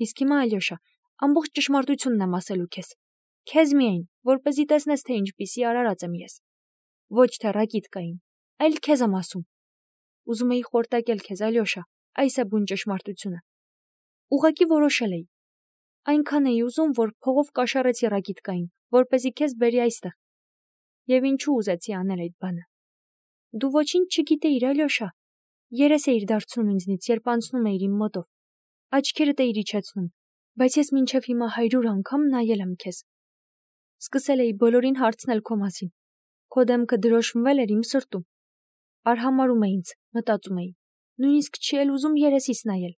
Իսկ հիմա Ալյոշա, ամբողջ ճշմարտությունն եմ ասելու քեզ։ Քեզ միայն, որպեսզի տեսնես, թե ինչպիսի արարած եմ ես։ Ոչ թե Ռակիտկային, այլ քեզ եմ ասում։ Ուզում էի խորտակել քեզ, Ալյոշա, այս է բուն ճշմարտությունը։ Ուղղակի որոշել էի։ Այնքան էի ուզում, որ փողով կաշառեցի Ռակիտկային, որպեսզի քեզ բերի այստեղ։ Եվ ինչու ուզեցի անել այդ բանը։ Դու ոչինչ չգիտեիր, Ալյոշա։ Երես էիր դարձնում ինձնից, երբ անցնում էիր իմ մոտով։ Աչքերդ էիր իջեցնում, բայց ես մինչև հիմա 100 անգամ նայել եմ քեզ։ Սկսել էի բոլորին հարցնել քո մասին։ Քո դեմքը դրոշմվել էր իմ սրտում։ Արհամարում է ինձ, մտածում էի։ Նույնիսկ չի էլ ուզում երեսիս նայել։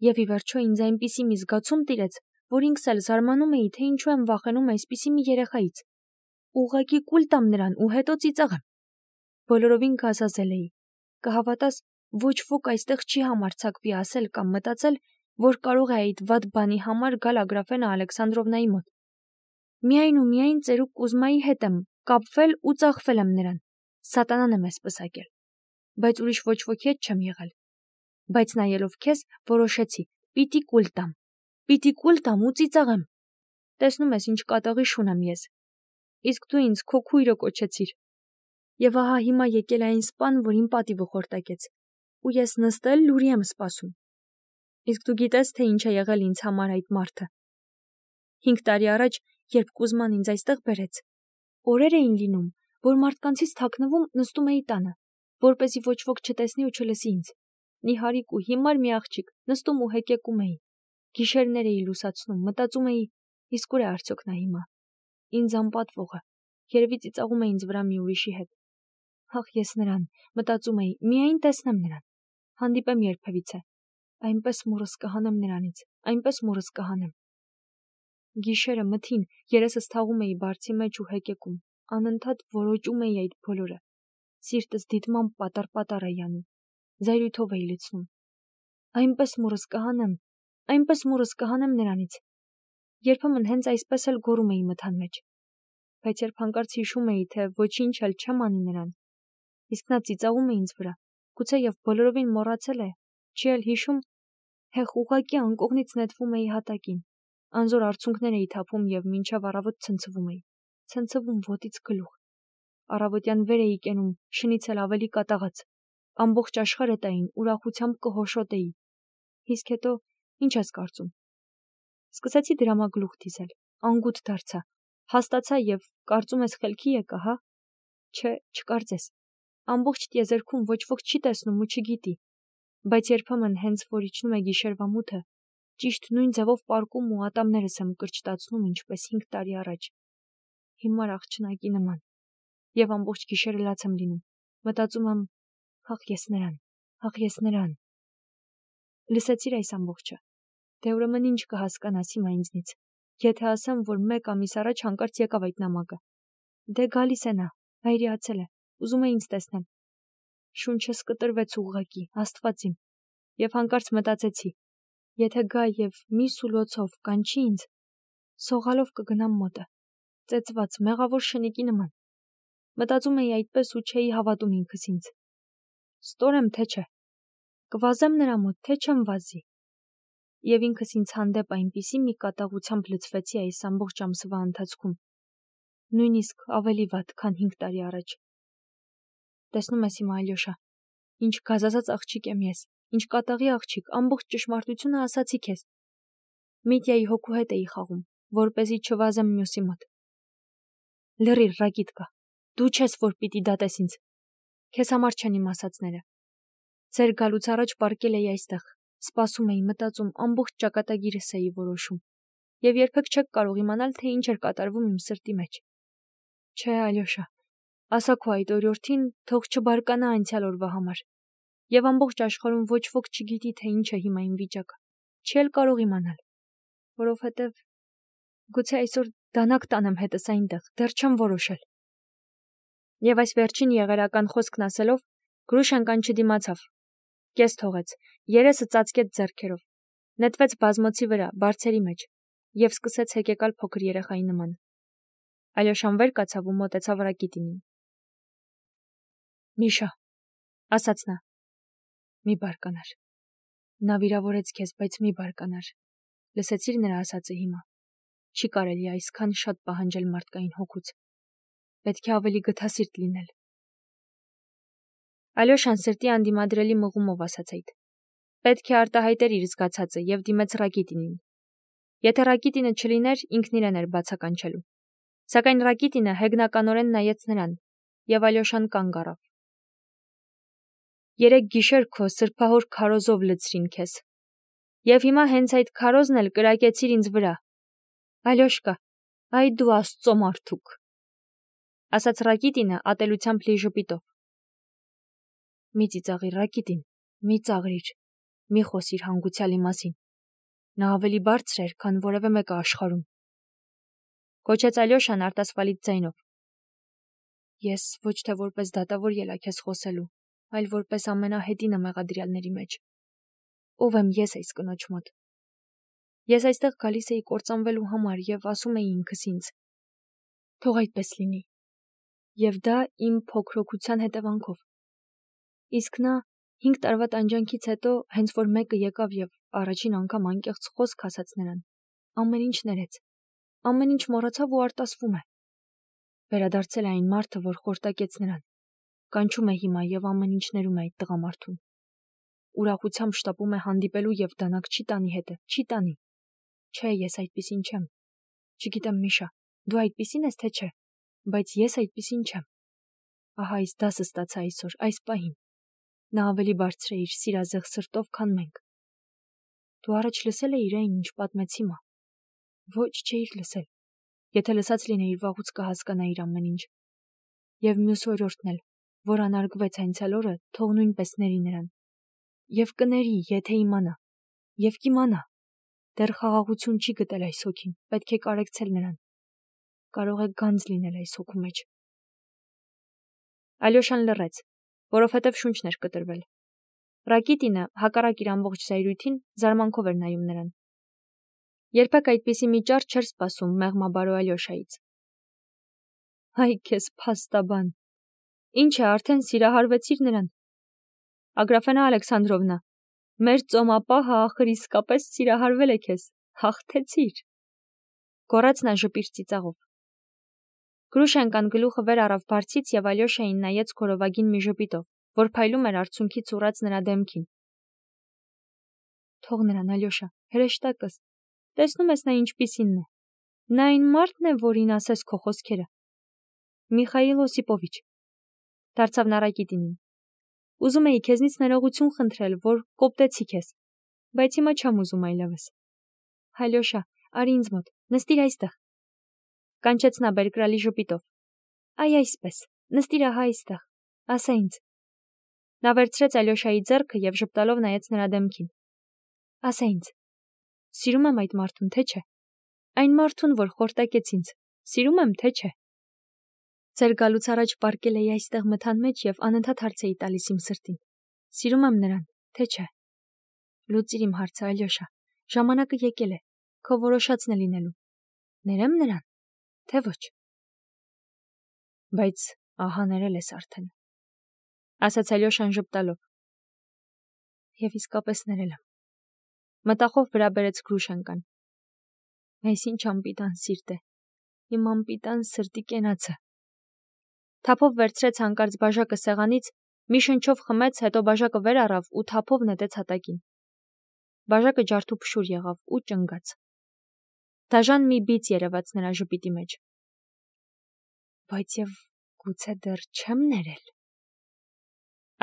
Եվ ի վերջո ինձ այնպիսի մի զգացում տիրեց, որ ինքս էլ զարմանում էի, թե ինչու եմ վախենում այսպիսի մի երեխայից։ Ուղղակի կուլ տամ նրան ու հետո ծիծաղեմ։ Բոլորովին գազազել էի։ Կհավատաս, ոչ ոք այստեղ չի համարձակվի ասել կամ մտածել, որ կարող է այդ վատ բանի համար գալ Ագրաֆենա Ալեքսանդրովնայի մոտ։ Միայն ու միայն ծերուկ Կուզմայի հետ եմ կապվել ու ծախվել եմ նրան։ Սատանան եմ ես պսակել։ Բայց ուրիշ ոչ ոքի հետ չեմ եղել։ Բայց նայելով քեզ, որոշեցի, պիտի կուլ տամ։ Պիտի կուլ տամ ու ծիծաղեմ։ Տեսնում ես ինչ կատաղի շուն եմ ես։ Իսկ դու ինձ քո քույրը կոչեցիր։ Եվ ահա հիմա եկել է այն սպան, որ իմ պատիվը խորտակեց։ Ու ես նստել լուրի եմ սպասում։ Իսկ դու գիտես, թե ինչ է եղել ինձ համար այդ մարդը։ 5 տարի առաջ, երբ Կուզման ինձ այստեղ բերեց, օրեր էին լինում, որ մարդկանցից թաքնվում նստում էի տանը, որպեսզի ոչ ոք չտեսնի ու չլսի ինձ։ Նիհարիկ ու հիմար մի աղջիկ, նստում ու հեկեկում էի։ Գիշերներ էի լուսացնում, մտածում էի, իսկ ուր է արդյոք նա հիմա։ Ինձ անպատվողը, երևի ծիծաղում է ինձ վրա մի ուրիշի հետ։ Ախ, ես նրան, մտածում էի, միայն տեսնեմ նրան, հանդիպեմ երբևիցե, այնպես մուրս կհանեմ նրանից, այնպես մուրս կհանեմ։ Գիշերը մթին, երեսս թաղում էի բարձի մեջ ու հեկեկում, անընդհատ որոճում էի այդ բոլորը։ Սիրտս դիտմամբ պատար-պատար էի անում, զայրույթով էի լցնում։ Այնպես մուրս կհանեմ նրանից։ Երբեմն հենց այսպես էլ գոռում էի մթան մեջ։ Բայց երբ հանկարծ հիշում էի, թե ոչինչ էլ չեմ անի նրան, իսկ նա ծիծաղում է ինձ վրա, գուցեև բոլորովին մոռացել է, չի էլ հիշում, հեղ ուղղակի անկողնից նետվում էի հատակին, անզոր արցունքներ էի թափում և մինչև առավոտ ցնցվում էի, ցնցվում ոտից գլուխ, առավոտյան վեր էի կենում, շնից էլ ավելի կատաղած, ամբողջ աշխարհը տային, ուրախությամբ կհոշոտեի, իսկ հետո ինչ ես կարծում։ Սկսեցի դրամագլուխ դիզել, անգութ դարձա, հաստացա և կարծում ես խելքի եկա, հա։ Չէ, չկարծես։ Ամբողջ տիեզերքում ոչ ոք չի տեսնում ու չգիտի, բայց երբեմն հենց որ իջնում է գիշերվա մութը, ճիշտ նույն ձևով պառկում ու ատամներս եմ կրճտացնում, ինչպես 5 տարի առաջ։ Հիմար աղջնակի նման։ Եվ ամբողջ գիշերը լաց եմ լինում։ Մտածում եմ, ախ ես նրան։ Լսեցիր այս ամբողջը։ Դե ուրեմն ինչ կհասկանաս հիմա ինձնից։ Եթե ասեմ, որ 1 ամիս առաջ հանկարծ եկավ այդ նամակը։ Դե գալիս է նա, հայրիացել է, ուզում է ինձ տեսնել։ Շունչս կտրվեց ուղղակի, Աստված իմ։ Եվ հանկարծ մտածեցի, եթե գա և մի սուլոցով կանչի ինձ, սողալով կգնամ մոտը, ծեծված, մեղավոր շնիկի նման։ Մտածում էի այդպես ու չէի հավատում ինքս ինձ։ Ստորեմ թե չէ։ Կվազեմ նրա մոտ, թե չեմ վազի։ Եվ ինքս ինձ հանդեպ այնպիսի մի կատաղությամբ լցվեցի այս ամբողջ ամսվա ընթացքում, նույնիսկ ավելի վատ, քան 5 տարի առաջ։ Տեսնում ես հիմա, Ալյոշա, ինչ գազազած աղջիկ եմ ես, ինչ կատաղի աղջիկ, ամբողջ ճշմարտությունը ասացի քեզ։ Միտյայի հոգու հետ էի խաղում, որպեսզի չվազեմ մյուսի մոտ։ Լռիր, Ռակիտկա, դու չես, որ պիտի դատես ինձ։ Քեզ համար չեն իմ ասածները։ Ձեր գալուց առաջ պառկել էի այստեղ, սպասում էի, մտածում, ամբողջ ճակատագիրս էի որոշում։ Եվ երբեք չեք կարող իմանալ, թե ինչ էր կատարվում իմ սրտի մեջ։ Չէ, Ալյոշա, ասա քո այդ օրիորդին, թող չբարկանա անցյալ օրվա համար։ Եվ ամբողջ աշխարհում ոչ ոք չգիտի, թե ինչ է հիմա իմ վիճակը։ Չի էլ կարող իմանալ, որովհետև գուցե այսօր դանակ տանեմ հետս այնտեղ, դեռ չեմ որոշել։ Եվ այս վերջին եղերական խոսքն ասելով, Գրուշենկան չդիմացավ։ Կես թողեց, երեսը ծածկեց ձեռքերով, նետվեց բազմոցի վրա, բարձերի մեջ, և սկսեց հեկեկալ փոքր երեխայի նման։ Ալյոշան վեր կացավ ու մոտեցավ Ռակիտինին։ Միշա, ասաց նա, մի բարկանար։ Նա վիրավորեց քեզ, բայց մի բարկանար։ Լսեցիր նրա ասածը հիմա։ Չի կարելի այսքան շատ պահանջել մարդկային հոգուց։ Պետք է ավելի գթասիրտ լինել։ Ալյոշան սրտի անդիմադրելի մղումով ասաց այդ։ Պետք է արտահայտեր իր զգացածը եւ դիմեց Ռակիտինին։ Եթե Ռակիտինը չլիներ, ինքն իրեն էր բացականչելու։ Սակայն Ռակիտինը հեգնականորեն նայեց նրան, եւ Ալյոշան կանգ առավ։ Երեք գիշեր քո սրբահոր քարոզով լցրին քեզ։ Եվ հիմա հենց այդ քարոզն էլ կրակեցիր ինձ վրա։ Ալյոշկա, այ դու Աստծո մարդուկ, ասաց Ռակիտինը ատելությամբ լի ժպիտով։ Մի ծիծաղիր, Ռակիտին, մի ծաղրիր, մի խոսիր հանգուցյալի մասին։ Նա ավելի բարձր էր, քան որևէ մեկը աշխարհում։ Կոչեց Ալյոշան արտասվալից ձայնով։ Ես ոչ թե որպես դատավոր ելա քեզ խոսելու, այլ որպես ամենահետինը մեղադրյալների մեջ։ Ով եմ ես այս կնոջ մոտ։ Ես այստեղ գալիս էի կործանվելու համար եւ ասում էի ինքս ինձ. թող այդպես լինի։ Եվ դա իմ փոքրոքության հետևանքով։ Իսկ նա 5 տարվա տանջանքից հետո հենց որ մեկը եկավ եւ առաջին անգամ անկեղծ խոսք ասաց նրան, ամեն ինչ ներեց, ամեն ինչ մոռացավ ու արտասվում է։ Վերադարձել է այն մարդը, որ խորտակեց նրան։ Կանչում է հիմա եւ ամեն ինչ ներում է այդ տղամարդուն։ Ուրախությամբ շտապում է հանդիպելու եւ դանակ չի տանի հետը, չի տանի։ Չէ, ես այդպիսին չեմ։ Չգիտեմ, Միշա, դու այդպիսին ես թե չէ, բայց ես այդպիսին չեմ։ Ահա այս դասը ստացա այսօր, այս պահին։ Նա ավելի բարձր է իր սիրազեղ սրտով, քան մենք։ Դու առաջ լսել էիր այն, ինչ պատմեց հիմա։ Ոչ, չէիր լսել։ Եթե լսած լինեիր, վաղուց կհասկանայիր ամեն ինչ։ Եվ մյուս օրորդն էլ, որ անարգվեց անցյալ օրը, թող նույնպես ների նրան։ Եվ կների, եթե իմանա։ Եվ կիմանա։ Դեռ խաղաղություն չի գտել այս հոգին, պետք է կարեկցել նրան։ Կարող է գանձ լինել այս հոգու մեջ։ Ալյոշան լռեց, որովհետև շունչն էր կտրվել։ Ռակիտինը, հակառակ իր ամբողջ զայրույթին, զարմանքով էր նայում նրան։ Երբեք այդպիսի մի ճար չէր սպասում մեղմաբարո Ալյոշայից։ Այ քեզ փաստաբան։ Ինչ է, արդեն սիրահարվեցիր նրան։ Ագրաֆենա Ալեքսանդրովնա, մեր ծոմապահը ախր իսկապես սիրահարվել է քեզ, հաղթեցիր։ Գոռաց նա ժպիր ծիծաղով։ Գրուշենկան գլուխը վեր առավ բարձից եւ Ալյոշային նայեց քորովագին մի ժպիտով, որ փայլում էր արցունքից ուռած նրա դեմքին։ Թող նրան, Ալյոշա, հրեշտակս, տեսնում ես նա ինչպիսինն է։ Նա այն մարդն է, որին ասես քո խոսքերը։ Միխայիլ Օսիպովիչ, դարձավ նա Ռակիտինին։ Ուզում էի քեզնից ներողություն խնդրել, որ կոպտեցի քեզ, բայց հիմա չեմ ուզում այլևս։ Ալյոշա, արի ինձ մոտ, նստիր այստեղ։ Կանչեց նա բերկրալի ժպիտով։ Այ այսպես, նստիր ահա այստեղ, ասա ինձ։ Նա վերցրեց Ալյոշայի ձեռքը եւ ժպտալով նայեց նրա դեմքին։ Ասա ինձ, սիրում եմ այդ մարդուն, թե չէ։ Այն մարդուն, որ խորտակեց ինձ, սիրում եմ, թե չէ։ Ձեր գալուց առաջ պառկել էի այստեղ մթան մեջ եւ անընդհատ հարց էի տալիս իմ սրտին։ Սիրում եմ նրան, թե չէ։ Լուծիր իմ հարցը, Ալյոշա, ժամանակը եկել է, քո որոշածն է լինելու։ Ներեմ նրան, թե ոչ։ Բայց ահա ներել ես արդեն, ասաց Ալյոշան ժպտալով։ Եվ իսկապես ներել եմ։ Մտախով վրա բերեց Գրուշենկան։ Այս ինչ անպիտան սիրտ է, իմ անպիտան սրտի կենացը։ Թափով վերցրեց հանկարծ բաժակը սեղանից, մի շնչով խմեց, հետո բաժակը վեր առավ ու թափով նետեց հատակին։ Բաժակը ջարդուփշուր եղավ ու ճնգաց։ Դաժան մի բիծ երևաց նրա ժպիտի մեջ։ Բայց եւ գուցե դեռ չեմ ներել,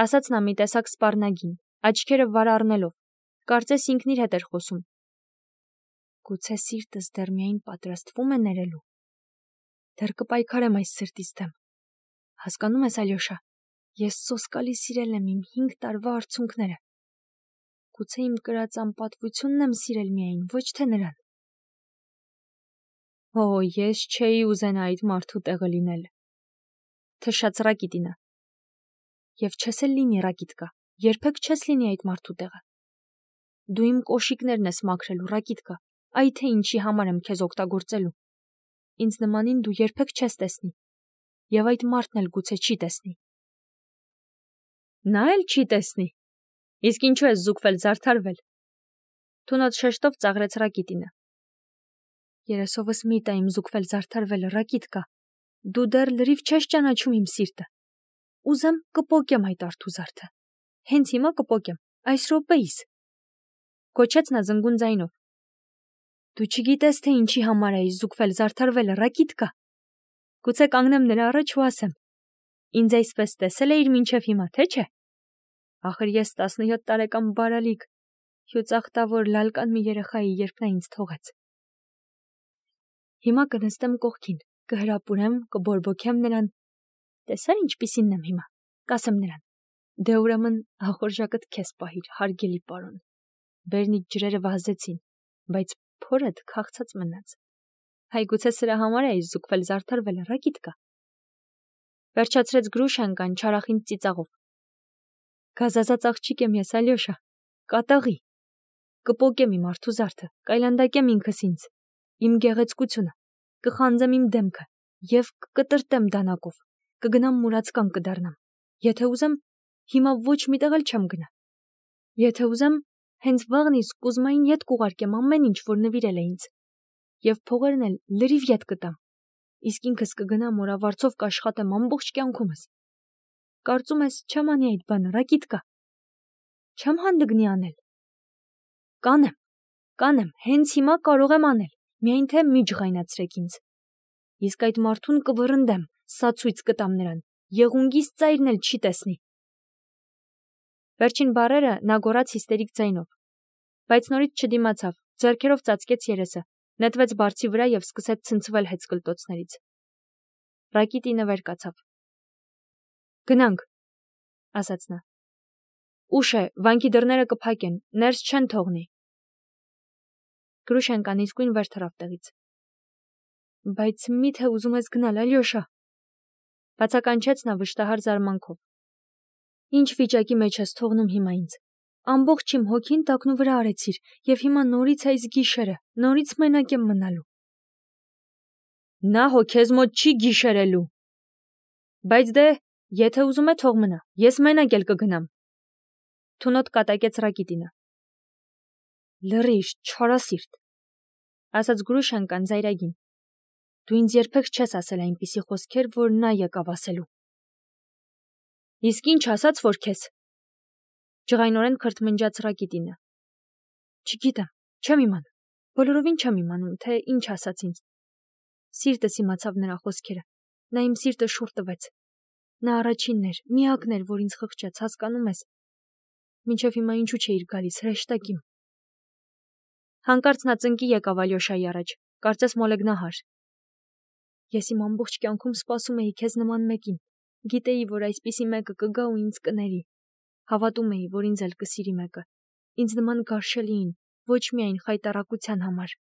ասաց նա մի տեսակ սպառնագին, աչքերը վար առնելով, կարծես ինքն իր հետ էր խոսում։ Գուցե սիրտս դեռ միայն պատրաստվում է ներելու։ Դեռ կպայքարեմ այս սրտից դեմ։ Հասկանում ես, Ալյոշա, ես սոսկալի սիրել եմ իմ 5 տարվա արցունքները։ Գուցե իմ կրած անպատվությունն եմ սիրել միայն, ոչ թե նրան։ Օ, ես չէի ուզենա այդ մարդու տեղը լինել, թշաց Ռակիտինը։ Եվ չես էլ լինի, Ռակիտկա, երբեք չես լինի այդ մարդու տեղը։ Դու իմ կոշիկներն ես մաքրելու, Ռակիտկա, այ թե ինչի համար եմ քեզ օգտագործելու։ Ինձ նմանին դու երբեք չես տեսնի։ Եվ այդ մարդն էլ գուցե չի տեսնի։ Նա էլ չի տեսնի։ Իսկ ինչու ես զուգվել, զարդարվել։ Թունոց շեշտով ծաղրեց Ռակիտինը։ Երեսովս մի տա իմ զուգվել զարդարվել Ռակիտկա։ Դու դեռ լրիվ չես ճանաչում իմ սիրտը։ Ուզեմ կպոկեմ այդ արթուզարդը։ Հենց հիմա կպոկեմ, այս րոպեիս։ Կոչեց նա զնգուն ձայնով։ Դու չգիտես, թե ինչի համար էի զուգվել զարդարվել Ռակիտկա։ Գուցե կանգնեմ նրա առաջ ու ասեմ. Ինձ այսպես տեսել էիր մինչև հիմա, թե չէ։ Ախր ես 17 տարեկան բարալիկ, հյուծախտավոր լալկան մի երեխայի, երբ նա ինձ թողեց։ Հիմա կնստեմ կողքին, կհրապուրեմ, կբորբոքեմ նրան։ Տեսա՞ր ինչպիսինն եմ հիմա, կասեմ նրան։ Դե ուրեմն ախորժակդ քեզ պահիր, հարգելի պարոն։ Բերնիչ ջրերը վազեցին, բայց փորդ քաղցած մնաց։ Հայ գուցե սրա համար էի զուգվել զարդարվել Ռակիտկա։ Վերջացրեց Գրուշենկան չարախին ծիծաղով։ Գազազած աղջիկ եմ ես, Ալյոշա, կատաղի։ Կպոկեմ իմ արթուզարդը, կայլանդակեմ ինքս ինձ, իմ գեղեցկությունը, կխանձեմ իմ դեմքը և կկտրտեմ դանակով, կգնամ մուրացկան կդառնամ։ Եթե ուզեմ, հիմա ոչ միտեղ էլ չեմ գնա։ Եթե ուզեմ, հենց վաղնից Կուզմային ետ կուղարկեմ ամեն ինչ, որ նվիրել է ինձ, և փողերն էլ լրիվ ետ կտամ, իսկ ինքս կգնամ օրավարձով կաշխատեմ ամբողջ կյանքումս։ Կարծում ես չեմ անի այդ բանը, Ռակիտկա։ Չեմ հանդգնի անել։ Կանեմ, հենց հիմա կարող եմ անել, միայն թե մի ջղայնացրեք ինձ։ Իսկ այդ մարդուն կվռնդեմ, սացույց կտամ նրան, եղունգիս ծայրն էլ չի տեսնի։ Վերջին բառերը նա գոռաց հիստերիկ ձայնով, բայց նորից չդիմացավ, ձեռքերով ծածկեց երեսը, նետվեց բարձի վրա և սկսեց ցնցվել հեծկլտոցներից։ Ռակիտինը վեր կացավ։ Գնանք, ասաց նա։ Ուշ է, վանքի դռները կփակեն, ներս չեն թողնի։ Գրուշենկան իսկույն վեր թռավ տեղից։ Բայց միթե ուզում ես գնալ, Ալյոշա, բացականչեց նա վշտահար զարմանքով։ Ինչ վիճակի մեջ ես թողնում հիմա ինձ։ Ամբողջ իմ հոգին տակնու վրա արեցիր, և հիմա նորից այս գիշերը, նորից մենակ եմ մնալու։ Նա հո քեզ մոտ չի գիշերելու։ Բայց դե, եթե ուզում է թող մնա, ես մենակ էլ կգնամ։ Թունոտ կատակեց Ռակիտինը։ Լռիր, չարասիրտ, ասաց Գրուշենկան զայրագին։ Դու ինձ երբեք չես ասել այնպիսի խոսքեր, որ նա եկավ ասելու։ Իսկ ինչ ասաց, որ քեզ։ Ջղայնորեն քրթմնջաց Ռակիտինը։ Չգիտեմ, չեմ իմանում, բոլորովին չեմ իմանում, թե ինչ ասաց ինձ։ Սիրտս իմացավ նրա խոսքերը, նա իմ սիրտը շուռ տվեց։ Նա առաջինն էր, միակն էր, որ ինձ խղճեց, հասկանում ես։ Մինչև հիմա ինչու չէիր գալիս, հրեշտակիմ։ Հանկարծ նա ծնկի եկավ Ալյոշայի առաջ, կարծես մոլեգնահար։ Ես իմ ամբողջ կյանքում սպասում էի քեզ նման մեկին, գիտեի, որ այսպիսի մեկը կգա ու ինձ կների, հավատում էի, որ ինձ էլ կսիրի մեկը, ինձ նման գարշելիին, ոչ միայն խայտառակության համար։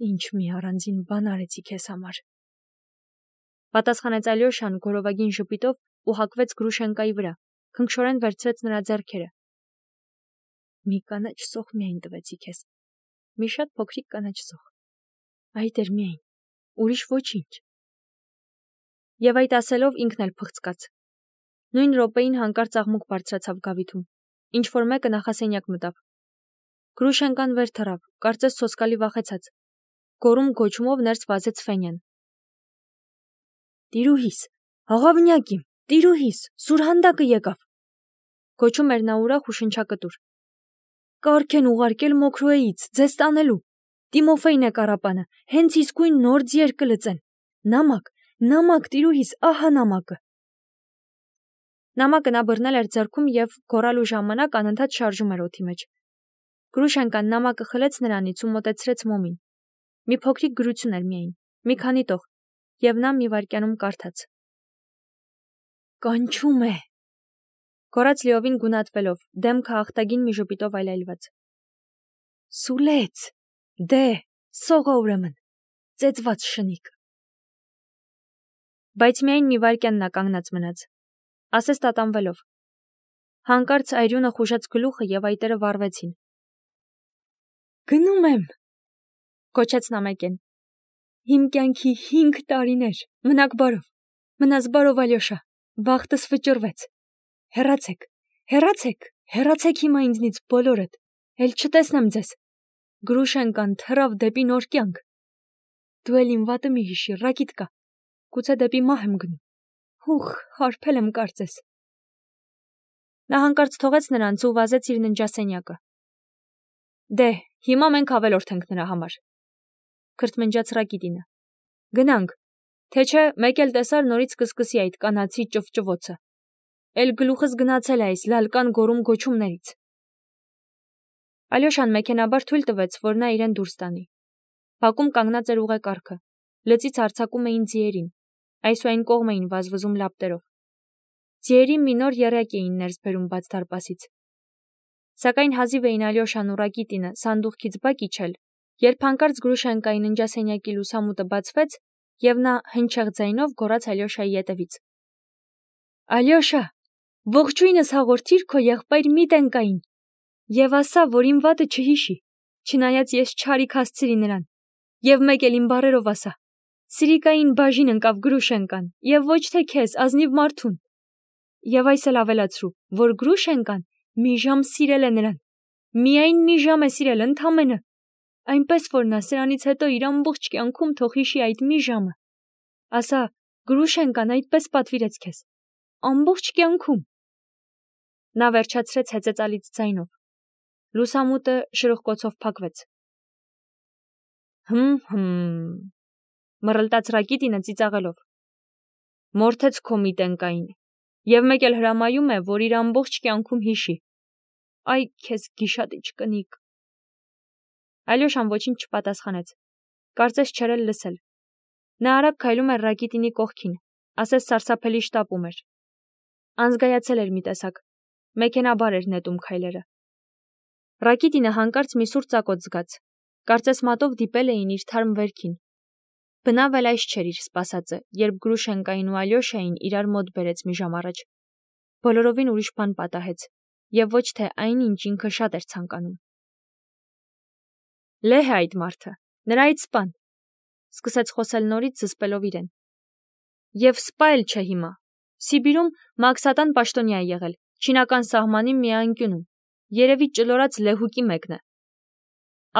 Ինչ մի առանձին բան արեցի քեզ համար։ Պատասխանեց Ալյոշան գորովագին ժպիտով ու հակվեց Գրուշենկայի վրա, քնքշորեն վերցրեց նրա ձեռքերը։ Մի կանաչ սոխ միայն տվեցի քեզ, մի շատ փոքրիկ կանաչ սոխ, այդ էր միայն, ուրիշ ոչինչ։ Եվ այդ ասելով ինքն էլ փղծկաց։ Նույն րոպեին հանկարծ աղմուկ բարձրացավ գավիթում, ինչ-որ մեկը նախասենյակ մտավ։ Գրուշենկան վեր թռավ, կարծես սոսկալի վախեցած։ Գոռում գոչումով ներս վազեց Ֆենյան։ Տիրուհիս, աղավնյակ իմ, տիրուհիս, սուրհանդակը եկավ։ Գոչում էր նա ուրախ ու շնչակտուր։ Կարգ են ուղարկել Մոքրոեից, ձեզ տանելու։ Տիմոֆեյն է կառապանը, հենց իսկույն նոր ձիեր կլծեն։ Նամակ, տիրուհիս, ահա նամակը։ Նամակը նա բռնել էր ձեռքում և գոռալու ժամանակ անընդհատ շարժում էր օդի մեջ։ Գրուշենկան նամակը խլեց նրանից ու մոտեցրեց մոմին։ Մի փոքրիկ գրություն էր միայն, մի քանի տող, և նա մի վայրկյանում կարդաց։ Կանչում է, գոռաց լիովին գունատվելով, դեմքը ախտագին մի ժպիտով այլայլված։ Սուլեց, դե, սողա ուրեմն, ծեծված շնիկ։ Բայց միայն մի վայրկյան նա կանգնած մնաց, ասես տատանվելով։ Հանկարծ այրյունը խուժեց գլուխը և այտերը վառվեցին։ Գնում եմ, գոչեց նա մեկեն։ Իմ կյանքի 5 տարիներ, մնաք բարով, մնաս բարով Ալյոշա, բախտս վճռվեց։ Հեռացեք հիմա ինձնից բոլորդ, Էլ չտեսնեմ ձեզ։ Գրուշենկան թռավ դեպի նոր կյանք։ Դու էլ իմ վատը մի հիշի, Ռակիտկա։ Գուցե դեպի մահ եմ գնում։ Հուխ, հարբել եմ կարծես։ Նա հանկարծ թողեց նրանց ու վազեց իր ննջասենյակը։ Դե, հիմա մենք ավելորդ ենք նրա համար։ Քրթմնջաց Ռակիտինը։ Գնանք, թե չէ մեկ էլ տեսար նորից կսկսի այդ կանացի ճվճվոցը։ Էլ գլուխս գնացել է այս լալկան գորում գոչումներից։ Ալյոշան մեքենաբար թույլ տվեց, որ նա իրեն դուրս տանի։ Բակում կանգնած էր ուղեկարգը։ Լծից արձակում էին ձիերին, այսուայն կողմ էին վազվզում լապտերով։ Ձիերի մի նոր եռյակ էին ներս բերում բաց դարպասից։ Սակայն հազիվ էին Ալյոշան ու Ռակիտինը սանդուղքից բակ իջել, երբ հանկարծ Գրուշենկայի ննջասենյակի լուսամուտը բացվեց, եւ նա հնչեղ ձայնով գոռաց Ալյոշայի ետևից. Ալյոշա, ողջույնս հաղորդիր քո եղբայր Միտենկային եւ ասա, որ իմ վատը չհիշի, չնայած ես չարիք հասցրի նրան, եւ մեկ էլ իմ բառերով ասա. Սիրիկային բաժին ընկավ Գրուշենկան եւ ոչ թե քեզ, ազնիվ մարդուն։ Եվ այս էլ ավելացրու, որ Գրուշենկան մի ժամ սիրել է նրան, միայն մի ժամ է սիրել ընդամենը, այնպես որ նա սրանից հետո իր ամբողջ կյանքում թող հիշի այդ մի ժամը։ Ասա, Գրուշենկան այդպես պատվիրեց քեզ, ամբողջ կյանքում։ Նա վերջացրեց հեծեծալից ձայնով։ Լուսամուտը շրխկոցով փակվեց։ Մռլտաց Ռակիտինը ծիծաղելով։ Մորթեց քո Միտենկային, եւ մեկ էլ հրամայում է, որ իր ամբողջ կյանքում հիշի։ Այ քեզ գիշատիչ կնիկ։ Ալյոշան ոչինչ չպատասխանեց։ Կարծես չէր էլ լսել։ Նա արագ քայլում էր Ռակիտինի կողքին, ասես սարսափելի շտապում էր։ Անզգայացել էր մի տեսակ։ Մեքենաբար էր նետում քայլերը։ Ռակիտինը հանկարծ մի սուր ծակոտ զգաց։ Կարծես մատով դիպել էին իր թարմ վերքին։ Բնավ էլ այս չէր իր սպասածը, երբ Գրուշենկային ու Ալյոշային իրար մոտ բերեց մի ժամ առաջ։ Բոլորովին ուրիշ բան պատահեց, եւ ոչ թե այն, ինչ ինքը շատ էր ցանկանում։ Լեհ է այդ մարդը, նրա այդ սպան, սկսեց խոսել նորից զսպելով իրեն։ Եվ սպա էլ չէ հիմա։ Սիբիրում Մաքսատան պաշտոնյա է եղել, չինական սահմանի մի անկյունում, երևի ճլորած լեհուկի մեկն է։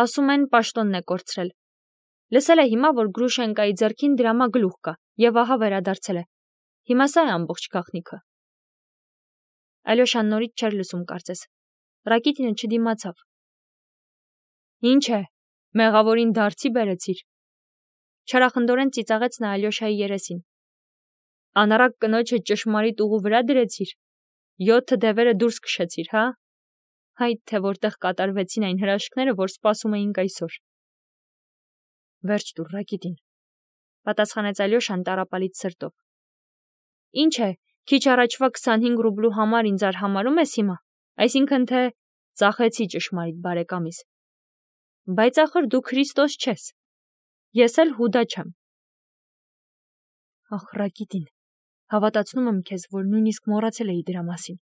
Ասում են պաշտոնն է կորցրել։ Լսել է հիմա, որ Գրուշենկայի ձեռքին դրամագլուխ կա, եւ ահա վերադարձել է։ Հիմա սա է ամբողջ գաղտնիքը։ Ալյոշան նորից չէր լսում կարծես։ Ռակիտինը չդիմացավ։ Ինչ է, մեղավորին դարձի բերեցիր։ Չարախնդորեն ծիծաղեց նա Ալյոշայի երեսին։ Անառակ կնոջը ճշմարիտ ուղու վրա դրեցիր։ 7 դևերը դուրս քշեցիր, հա։ Հայտ թե որտեղ կատարվեցին այն հրաշքները, որ սպասում էինք այսօր։ Վերջ տուր, Ռակիտին, պատասխանեց Ալյոշան տառապալից սրտով։ Ինչ է, քիչ առաջվա 25 ռուբլու համար ինձ արհամարում ես հիմա, այսինքն թե ծախեցի ճշմարիտ բարեկամիս։ Բայց ախր դու Քրիստոս չես։ Ես էլ Հուդա չեմ։ Ախ, Ռակիտին, հավատացնում եմ քեզ, որ նույնիսկ մոռացել էի դրա մասին։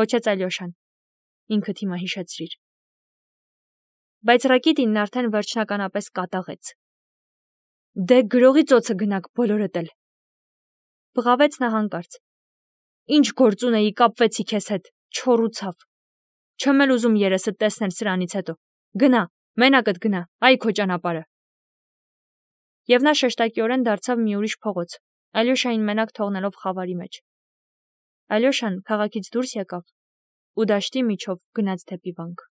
Կոչեց Ալյոշան։ Ինքդ հիմա հիշեցրիր։ Բայց Ռակիտինն արդեն վերջնականապես կատաղեց։ Դե գրողի ծոցը գնաք բոլորդ էլ։ Բղավեց նա հանկարծ։ Ինչ գործ ունեի, կապվեցի քեզ հետ, չորուցավ։ Չեմ էլ ուզում երեսդ տեսնել սրանից հետո։ Գնա, մենակդ գնա, այ քո ճանապարհը։ Եվ նա շեշտակիորեն դարձավ մի ուրիշ փողոց, Ալյոշային մենակ թողնելով խավարի մեջ։ Ալյոշան քաղաքից դուրս եկավ ու դաշտի միջով գնաց դեպի վանք։